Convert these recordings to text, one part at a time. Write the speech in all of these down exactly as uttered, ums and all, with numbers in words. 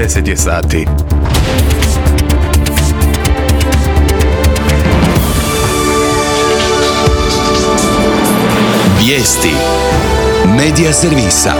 deset je sati. Vijesti Medija servisa.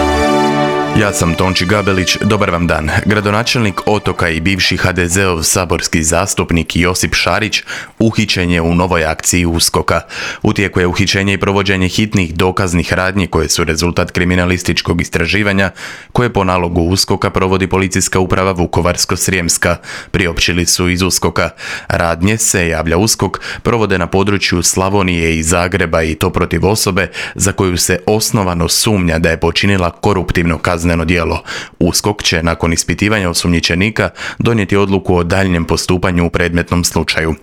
Ja sam Tonči Gabelić, dobar vam dan. Gradonačelnik Otoka i bivši ha de zeov saborski zastupnik Josip Šarić uhićen je u novoj akciji USKOK-a. U tijeku je uhićenje i provođenje hitnih dokaznih radnji koje su rezultat kriminalističkog istraživanja koje po nalogu USKOK-a provodi Policijska uprava Vukovarsko-srijemska. Priopćili su iz USKOK-a. Radnje, se javlja USKOK, provode na području Slavonije i Zagreba i to protiv osobe za koju se osnovano sumnja da je počinila koruptivno kazneno djelo. USKOK će nakon ispitivanja osumnjičenika donijeti odluku o daljnjem postupanju u predmetnom slučaju.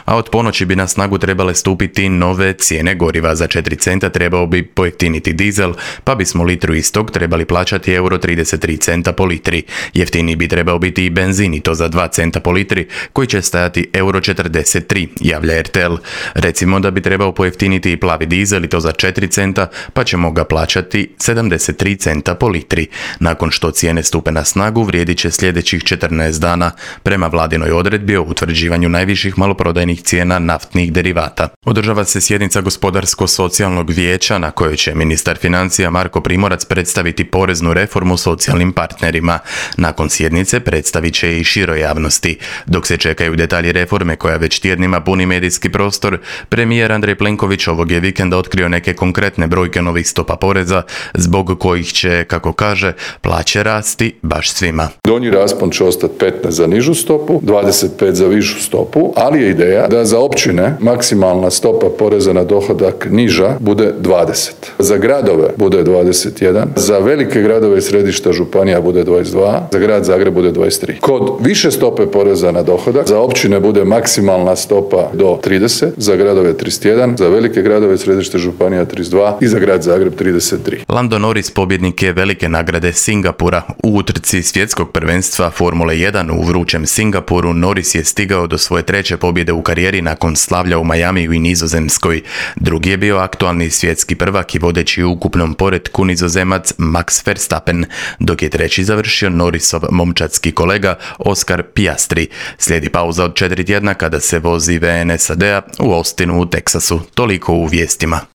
A od ponoći bi na snagu trebale stupiti nove cijene goriva. Za četiri centa trebao bi pojeftiniti dizel, pa bismo litru istog trebali plaćati euro trideset tri centa po litri. Jeftiniji bi trebao biti i benzin, i to za dva centa po litri, koji će stajati euro četrdeset tri, javlja er te el. Recimo da bi trebao pojeftiniti i plavi dizel, i to za četiri centa, pa ćemo ga plaćati sedamdeset tri centa po litri. Nakon što cijene stupe na snagu, vrijedit će sljedećih četrnaest dana prema vladinoj odredbi o utvrđivanju najviših maloprodajnih cijena naftnih derivata. Održava se sjednica Gospodarsko-socijalnog vijeća na kojoj će ministar financija Marko Primorac predstaviti poreznu reformu socijalnim partnerima. Nakon sjednice predstavit će i široj javnosti. Dok se čekaju detalji reforme koja već tjednima puni medijski prostor, premijer Andrej Plenković ovog je vikenda otkrio neke konkretne brojke novih stopa poreza zbog kojih će, kako kaže, plaće rasti baš svima. Donji raspon će ostati petnaest za nižu stopu, dvadeset pet za višu stopu, ali je ideja da za općine maksimalna stopa poreza na dohodak niža bude dvadeset. Za gradove bude dvadeset jedan, za velike gradove i središta županija bude dvadeset dva, za grad Zagreb bude dvadeset tri. Kod više stope poreza na dohodak za općine bude maksimalna stopa do trideset, za gradove trideset jedan, za velike gradove i središta županija trideset dva i za grad Zagreb trideset tri. Lando Norris pobjednik je velike nagrade Singapura. U utrci svjetskog prvenstva Formule jedan u vrućem Singapuru Norris je stigao do svoje treće pobjede u karijeri nakon slavlja u Majamiju i Nizozemskoj. Drugi je bio aktualni svjetski prvak i vodeći u ukupnom poretku Nizozemac Max Verstappen, dok je treći završio Norrisov momčadski kolega Oscar Piastri. Slijedi pauza od četiri tjedna kada se vozi ve en es a de a u Austinu u Teksasu. Toliko u vijestima.